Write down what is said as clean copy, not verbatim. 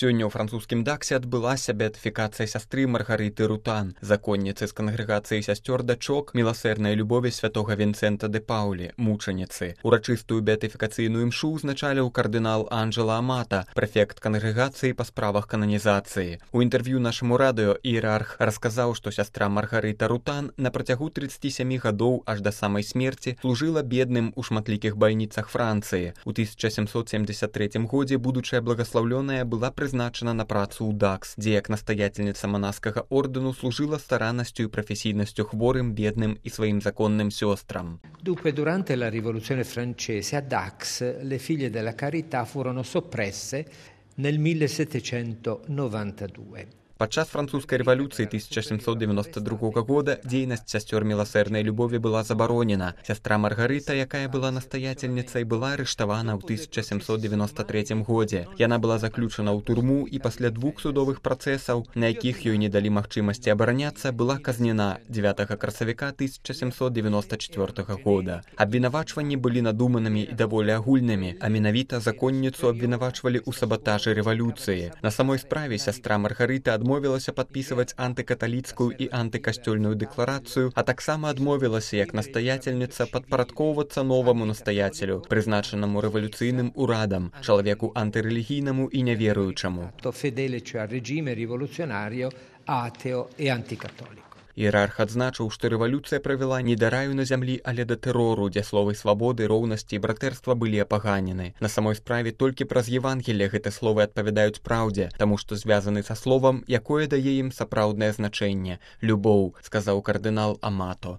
Сёння ў французскім Даксе адбылася беатыфікацыя сястры Маргарыты Рутан, законніцы з кангрэгацыі сясцёр дачок міласэрнай любові святога Вінцэнта де Паулі, мучаніцы. Урачыстую беатыфікацыйную імшу ўзначаліў кардынал Анджела Амата, прэфект кангрэгацыі па справах кананізацыі. У інтэрв'ю нашаму радыё іерарх расказаў, што сястра Маргарыта Рутан на працягу 37 гадоў аж да самай смерці служыла бедным у шматлікіх бальніцах Францыі. У 1773 годзе будучая благаслаўлёная была прызначана на працу ў Дакс, дзе як настаятельніца манаскага ордэну служила стараннасцю і прафесійнасцю хворым, бедным і сваім законным сёстрам. Dunque, durante la rivoluzione francese a Dax le figlie della carità furono soppresse nel 1792. Падчас французскай рэвалюцыі 1792 года дзейнасць сясцёр міласэрнай любові была забаронена. Сястра Маргарыта, якая была настаятельніцай, была арыштавана ў 1793 годзе. Яна была заключана ў турму і пасля 2 судовых працэсаў, на якіх ёй не далі магчымасці абараняцца, была казнена 9 красавіка 1794 года. Абвінавачванні былі надуманымі і даволі агульнымі, а менавіта законніцу абвінавачвалі ў сабатажы рэвалюцыі. На самой справе сястра Маргарыта адмовілася падпісваць антыкаталіцкую і антыкасцёльную дэкларацыю, а таксама адмовілася як настаятельніца падпарадкоўвацца новаму настаяцелю, прызначанаму рэвалюцыйным урадам, чалавеку антырэлігійнаму і няверуючаму. Іерарх адзначыў, што рэвалюцыя правяла не да раю на зямлі, але да тэрору, дзе словы свабоды, роўнасці і братэрства былі апаганены. На самой справе толькі праз Евангелле гэты словы адпавядаюць праўдзе, таму што звязаны са словам, якое дае ім сапраўднае значэнне – любоў, сказаў кардынал Амато.